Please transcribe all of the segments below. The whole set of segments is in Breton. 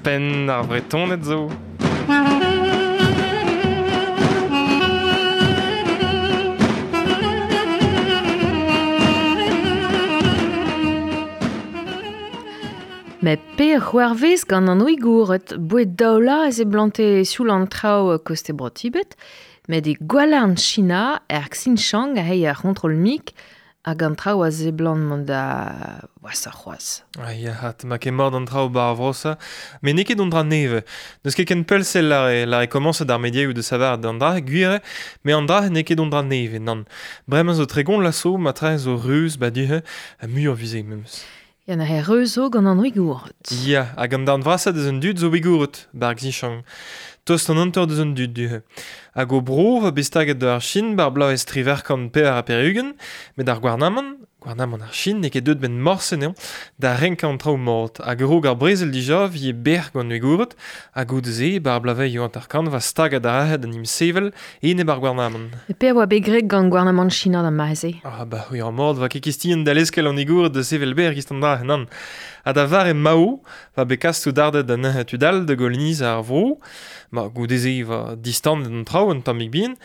Penn ar Vretoned zo. Met pe c'hoarvez gant an Ouigoured, bouet daoula ez e blante sioul an traoù koste bro Tibet, met e gwalarn China, er Xinjiang a hei ar c'hontrol mik, hag an traoù a zeblant mont da wasa c'hoazh. Ah ya, hat, ma ket mort an traoù bar vrosa. Met n'eo ket an dra neve. N'eus ket ken pell-sell la e komañset ar mediaoù de savar d'an dra, gwir eo, met an dra n'eo ket an dra neve, nann. Bremañ zo tregont laso, ma tra zo reuz ba du-he, ha muioc'h vize memes. Ya na he reuz zo gant an Ouigoured. Ya, hag an darn vrasañ deus an dud zo Ouigoured, bar Xinjiang. Tost an hanter deus an dud du-he. Hag o bro va bet staget d'ar Chin bar bloavezh triwec'h pevar ha pevar-ugent, met ar gouarnamant, gouarnamant ar Chin n'eo ket deuet benn morse anezhañ, da renkañ an traoù mat. Hag a-raok ar brezel dija 'vije bec'h gant Ouigoured, ha goude-se bar bloavezhioù hanter-kant va staget ar ahed an emsevel enep ar gouarnamant. E pe a oa bet graet gant gouarnamant China d'ar mare-se? Ah bah c'hwi ar mort va ket kistion da leskel an Ouigoured da sevel berr gist an dra, nann. Ha da vare Mao va bet kas soudarded da neuze tud all da goloniz ar vro. Ma goude-se va distandet an traoù un tammig bihan,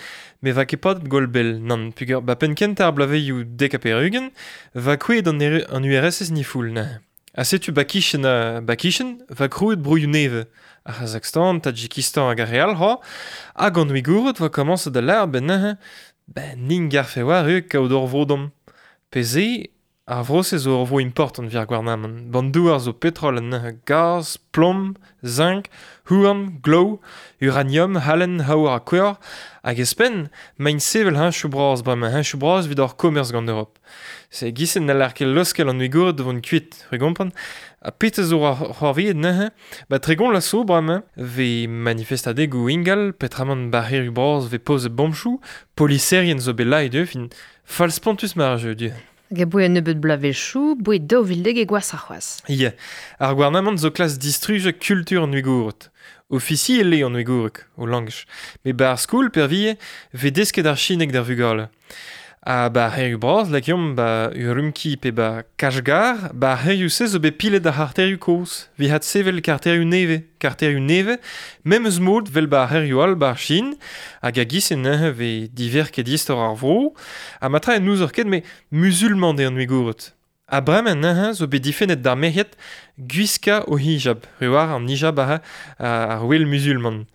met va ket padet gwall bell, nann, peogwir ba penn kentañ ar bloavezhioù dek ha pevar-ugent, va kouezhet an URSS ni foul neuze. Ha setu ba kichen, ba kichen, va krouet broioù nevez, ar C'hazakhstan, Tadjikistan hag ar re all c'hoazh, hag an Ouigoured va komañset da lâret ben neuze, ben nin garfe war eo kaout ur vro domp. Pe se, ar vro-se zo ur vro important evit ar gouarnamant. Ban douar zo petrol anezhañ, gaz, plom, zinc, houarn, glaou, uranium, halen, aour ha kouevr. Hag ouzhpenn, maint sevel heñchoù bras bremañ, heñchoù bras evit hor komerz gant Europ. Se e-giz-se n'haller ket leuskel an Ouigoured da vont kuit, c'hwi gompren. Ha petra zo c'hoarvezet neuze? Ba tregont vloaz zo bremañ 'vez manifestadegoù ingal, peotramant barrerioù bras 'vez pozet bomchoù, poliserien zo bet laet ivez, fin fall-spontus ma ar jeu du. Hag aboe un nebeud bloavezhioù, boe 2010 e gwashoc'h c'hoazh. Ya, ar gouarnamant zo klask distrujañ kultur an Ouigoured. Ofisiel eo an Ouigoureg, o langaj. Met 'ba ar skol peurvuiañ 'vez desket ar chineg d'ar vugale. Ha 'ba ar c'hêrioù bras, lakaomp 'ba Urumqi pe 'ba Kachgar, 'ba ar c'hêrioù-se zo bet pilet ar c'harterioù kozh. 'Vit adsevel karterioù nevez. Karterioù nevez, memes mod 'vel 'ba ar c'hêrioù all 'ba ar Chin. Hag a-giz-se neuze 'vez diverket istor ar vro. Ha matra n'ouzoc'h ket, met Muzulman eo an Ouigoured. Ha bremañ neuze zo bet difennet d'ar merc'hed gwiskañ o hijab. Re war an hijab aze ar wel muzulman.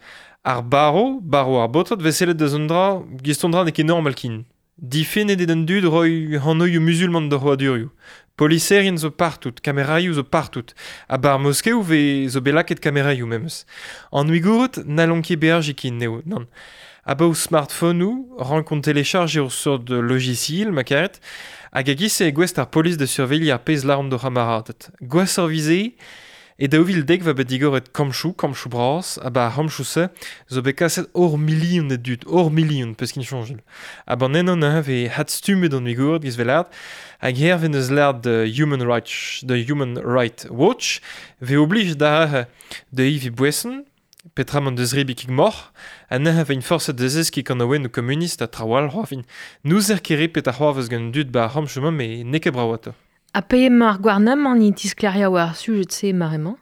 Ar barv, barv ar baotred 'vez sellet deus un dra, gist un dra n'eo ket normal ken. Difennet eo d'an dud roiñ anvioù muzulman d'o c'hrouadurioù. Poliserien zo partout, kameraioù zo partout. Ha 'ba ar moskeoù 'vez zo bet lakaet kameraioù memes. An Ouigoured n'hallont ket beajiñ ken eo, nann. Abaoe smartphonoù rankont télécharger ur seurt logiciel ma karet hag e-giz-se eo gouest ar polis da surveilhiñ ar pezh lâront d'o c'hamaraded. Gwashoc'h 'vit-se e 2010 va bet digoret kampchoù, kampchoù bras, ha 'ba ar c'hampchoù-se zo bet kaset ur milion a dud, ur milion, peus kin soñjal. Ha 'ban eno neuze 'vez adstummet an Ouigoured giz 'vez lâret, hag hervez 'neus lâret The Human Rights, The Human Rights Watch 'vez oblijet da da eviñ boeson, Petra m'en deus zebriñ kig moc'h ha neuze e vin forset da zeskiñ kanaouennoù komunist ha traoù all c'hoazh. N'ouzer ket re petra c'hoarvez gant an dud 'ba ar c'hamp-mañ met n'eo ket brav atav. Ha pe emañ ar gouarnamant e tisklêriañ war ar sujed-se mare-mañ?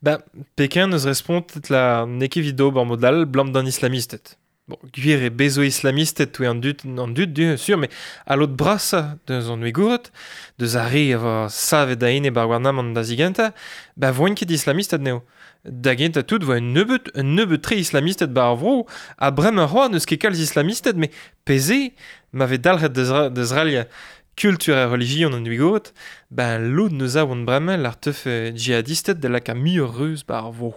Ba, Pekin 'neus respontet la n'eo ket evit ober mod all 'blam d'an islamisted. Bon, gwir eo bez zo islamisted touez an dud, an dud du, sur, met al lod brasañ deus an Ouigoured, deus ar re a vo savet a-enep ar gouarnamant da zigentañ, ba voint ket islamisted anezho. Da gentañ tout 'voa un nebeud, un nebeud-tre islamisted 'ba ar vro, ha bremañ c'hoazh n'eus ket kalz islamisted, met pe-se, ma vez dalc'het da zrailhañ kultur ha relijion an Ouigoured, ben lod 'neus aon bremañ lar teufe djihadisted da lakaat muioc'h reuz 'ba ar vro.